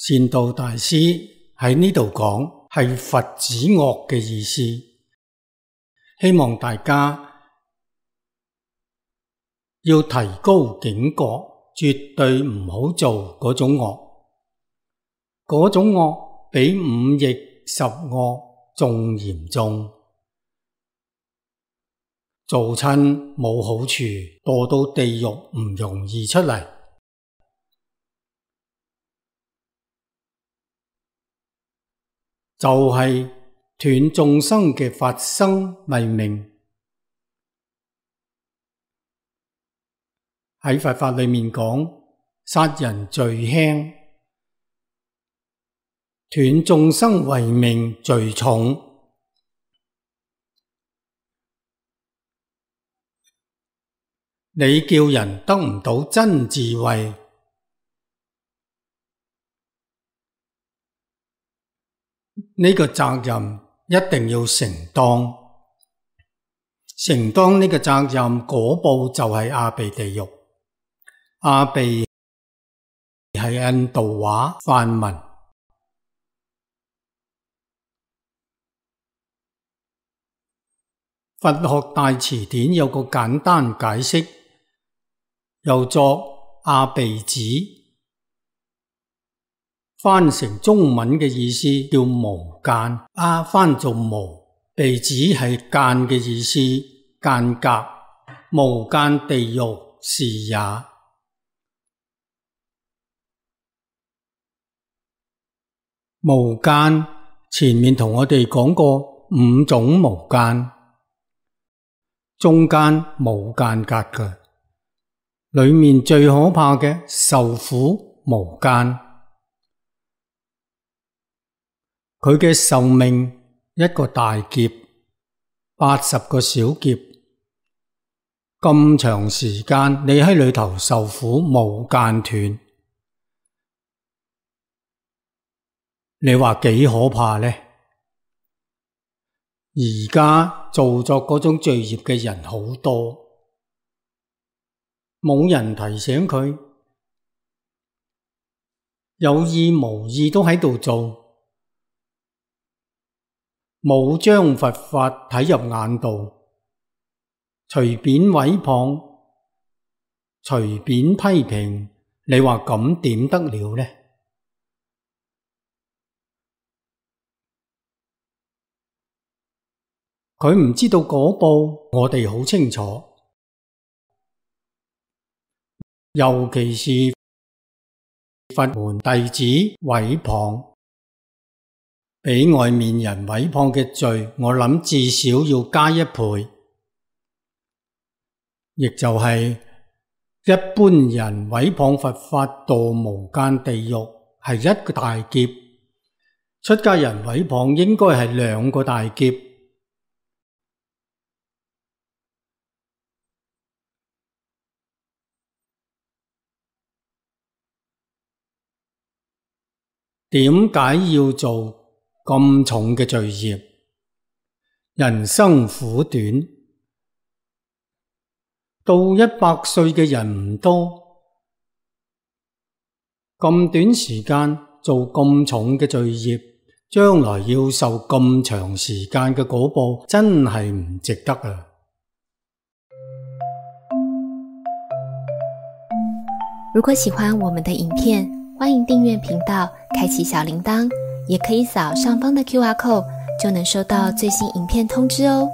善導大師喺呢度講係佛止惡嘅意思，希望大家要提高警覺，絕對唔好做嗰種惡，嗰種惡比五逆十惡仲嚴重，做親冇好處，墮到地獄唔容易出嚟。就係斷眾生嘅法身慧命。喺佛法裏面講，殺人罪輕，斷眾生慧命罪重。你叫人得唔到真智慧，呢個責任一定要承當，承當呢個責任，果報就係阿鼻地獄。阿鼻係印度話梵文，佛學大辭典有個簡單解釋，又作阿鼻子，翻成中文嘅意思叫無間，翻做無，鼻子係間嘅意思，間隔，無間地獄是也。無間前面同我哋講過五種無間，中間冇間隔嘅，裏面最可怕嘅受苦無間，佢嘅壽命一個大劫，80個小劫，咁長時間你喺裏頭受苦無間斷，你話幾可怕呢？而家做作嗰種罪業嘅人好多，冇人提醒佢，有意無意都喺度做，冇將佛法睇入眼度，隨便毀謗，隨便批評，你話咁點得了呢？佢唔知道果報，我哋好清楚。尤其是佛門弟子毀謗，比外面人毀謗嘅罪，我諗至少要加1倍。亦就係一般人毀謗佛法墮無間地獄係一個大劫，出家人毀謗應該係2個大劫。點解要做咁重嘅罪業？人生苦短，到100歲嘅人唔多，咁短時間做咁重嘅罪業，將來要受咁長時間嘅果報，真係唔值得啊！如果喜歡我們的影片，歡迎訂閱頻道，開啟小鈴鐺，也可以掃上方的QR code，就能收到最新影片通知哦。